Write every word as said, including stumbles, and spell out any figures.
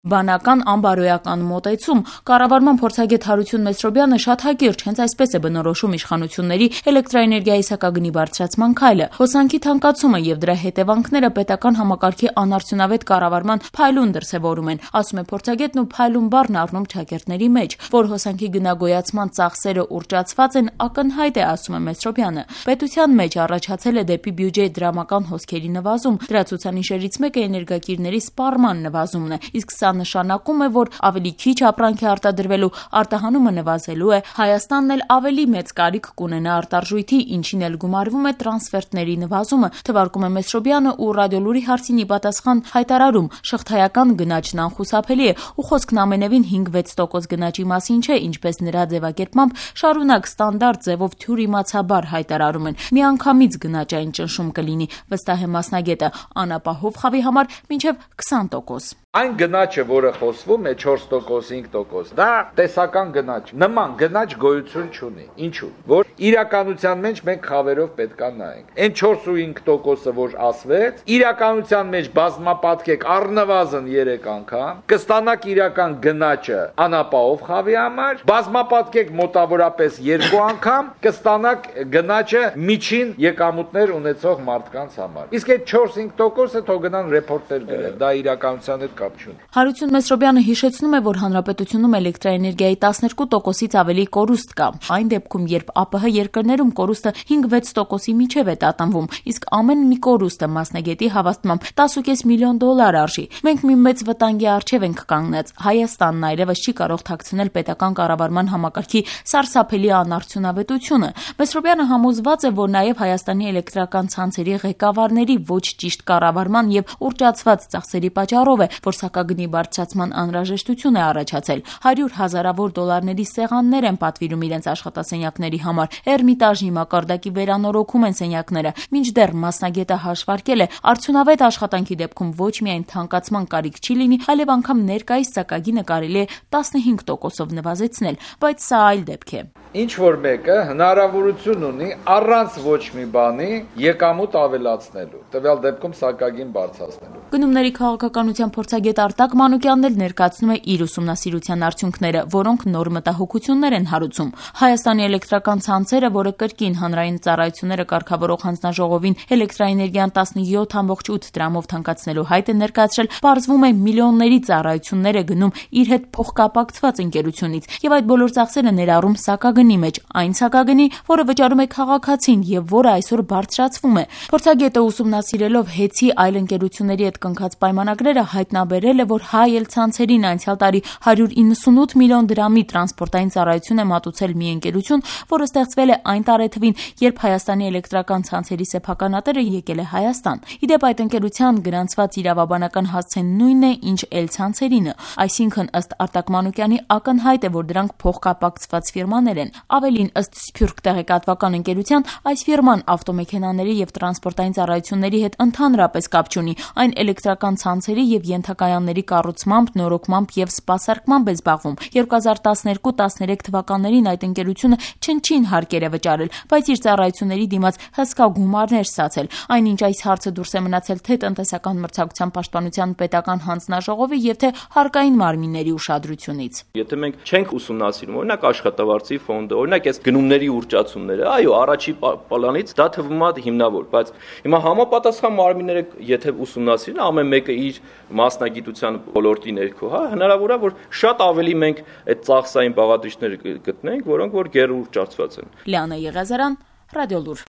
Բանական անբարոյական մոտեցում։ Կառավարման փորձագետ Հարություն Մեսրոբյանը շատ հակիրճ հենց այսպես է բնորոշում իշխանությունների էլեկտրաէներգիայի սակագնի բարձրացման քայլը։ Հոսանքի թանկացումը եւ դրա հետևանքները պետական համակարգի անարդյունավետ կառավարման փայլուն դրսեւորում են, ասում է փորձագետն ու փայլուն բառն առնում ճակերտների մեջ, որ հոսանքի գնագոյացման ծախսերը ուռճացված են, ակնհայտ է, ասում է Մեսրոբյանը։ Պետության մեջ առաջացել է դեպի բյուջե դրամական հոսքերի նվազում, դրա ցուցանիշերից մեկը էներգակիրների սպառման նվազումն է, իսկ սա նշանակում է, որ ավելի քիչ ապրանք է արտադրվելու, արտահանումը նվազելու է, Հայաստանն էլ ավելի մեծ կարիք կունենա արտարժույթի, ինչին էլ գումարվում է տրանսֆերտների նվազումը, թվարկում է Մեսրոբյանը ու Ռադիոլուրի հարցին ի պատասխան հայտարարում, շղթայական գնաճն անխուսափելի է ու խոսքն ամենևին հինգ-վեց տոկոս գնաճի մասին չէ, ինչպես նրա ձևակերպմամբ շարունակ ստանդարտ ձևով թյուրիմացաբար հայտարարում են, միանգամից գնաճային ճնշում կլինի, վստահ է մասնագետը, անապահով խավի համար մինչև քսան տոկոս։ Այն գնաճը, որը խոսվում է չորս տոկոս, հինգ տոկոս, դա տեսական գնաճ, նման գնաճ գոյություն չունի։ Ինչու՞։ Որ իրականության մեջ մենք խավերով պետք է նայենք։ Այն չորս ու հինգ տոկոսը, որ ասվեց, իրականության մեջ բազմապատկեք առնվազն երեք անգամ, կստանաք իրական գնաճը անապահով խավի համար, բազմապատկեք մոտավորապես երկու անգամ, կստանաք գնաճը միջին եկամուտներ ունեցող մարդկանց համար։ Իսկ այդ չորս-հինգ տոկոսը թող գնան ռեպորտեր գրեն, դա իրականության հետ Հարություն Մեսրոբյանը հիշեցնում է, որ հանրապետությունում էլեկտրաէներգիայի տասներկու տոկոսից ավելի կորուստ կա։ Այն դեպքում, երբ ԱՊՀ երկրներում կորուստը հինգ-վեց տոկոսի միջև է տատանվում, իսկ ամեն մի կորուստը մասնագետի հավաստմամբ տասը կես միլիոն դոլար արժի։ Մենք մի մեծ վտանգի առջև ենք կանգնած։ Հայաստանն այլևս չի կարող թաքցնել պետական կառավարման համակարգի սարսափելի անարդյունավետությունը։ Մեսրոբյանը համոզված է, որ նաև Հայաստանի էլեկտրական ցանցերի ղեկավարների ոչ ճիշտ կառավարման եւ ուռճացված ծախսերի պատճառով է, որ սակագնի բարձրացման անհրաժեշտություն է առաջացել։ Հարյուր հազարավոր դոլարների սեղաններ են պատվիրում իրենց աշխատասենյակների համար։ Էրմիտաժի մակարդակի վերանորոգում են սենյակները։ Մինչդեռ մասնագետը հաշվարկել է, արդյունավետ աշխատանքի դեպքում ոչ միայն թանկացման կարիք չի լինի, այլև անգամ ներկայիս սակագինը կարելի է տասնհինգ տոկոսով նվազեցնել, բայց սա այլ դեպք է։ Ինչ որ մեկը հնարավորություն ունի առանց ոչ մի բանի եկամուտ ավելացնելու, տվյալ դեպքում սակագին բարձրացնելու։ Գնումների քաղաքականության փորձագետ Արտակ Մանուկյանն էլ ներկայացնում է իր ուսումնասիրության արդյունքները, որոնք նոր մտահոգություններ են հարուցում։ Հայաստանի էլեկտրական ցանցերը, որը կրկին հանրային ծառայությունները կարգավորող հանձնաժողովին էլեկտրաէներգիան տասնյոթ կόμμα ութ դրամով թանկացնելու հայտ է ներկայացրել, պարզվում է միլիոնների ծառայություններ է գնում իր հետ փոխկապակցված ընկերությունից, եւ այդ բոլոր ծախսերը ներառում սակագնի մեջ, այն սակագնի, որը վճարում է քաղաքացին եւ որը այսօր բարձրացվում է։ Փորձագետը ուսումնասիրելով հեծի այլ ընկերությունների հետ կնքած պայմանագրերը հայտնաբերել է, որ Հայ ցանցերին անցյալ տարի հարյուր իննսունութ միլիոն դրամի տրանսպորտային ծառայություն է մատուցել մի ընկերություն, որը ստեղծվել է այն տարեթվին, երբ Հայաստանի էլեկտրական ցանցերի սեփականատերը եկել է Հայաստան։ Իդեպ այդ ընկերության գրանցված իրավաբանական հասցեն նույնն է, ինչ էլ ցանցերինը, այսինքն ըստ Արտակ Մանուկյանի ակնհայտ է, որ դրանք փոխկապակցված ֆիրմաներ են։ Ավելին, ըստ Սփյուռք տեղեկատվական ընկերության, այս ֆիրման ավտոմեքենաների եւ տրանսպորտային ծառայությունների հետ ընդհանրապես կապ չունի, այն էլեկտրական ցանցերի եւ ենթակայանների կառուցմամբ, նորոգմամբ եւ սպասարկմամբ է զբաղվում։ երկու հազար տասներկու տասներեք թվականներին այդ ընկերությունը չնչին հարկեր է վճարել, բայց իր ծառայությունների դիմաց հսկա գումարներ ստացել։ Այնինչ այս հարցը դուրս է մնացել թե տնտեսական մրցակցության պաշտպանության պետական հանձնաժողովի եւ թե հարկային մարմինների ուշադրությունից։ Եթե մենք չենք ուսումնասիրում, օրինակ աշխատավարձի ֆոնդը, օրինակ այս գնումների ուռճացումները, այո, առաջի պլանից դա թվում է հիմնավոր, բայց հիմա համապատասխան մարմինները եթե ուսումնասիրեն, ամեն մեկը իր մասնագիտության ոլորտի ներքո, հա, հնարավոր է, որ շատ ավելի մենք այդ ծախսային բաղադրիչներ գտնենք, որոնք որ գերուռճացված են։ Լիանա Եղիազարյան, Ռադիոլուր։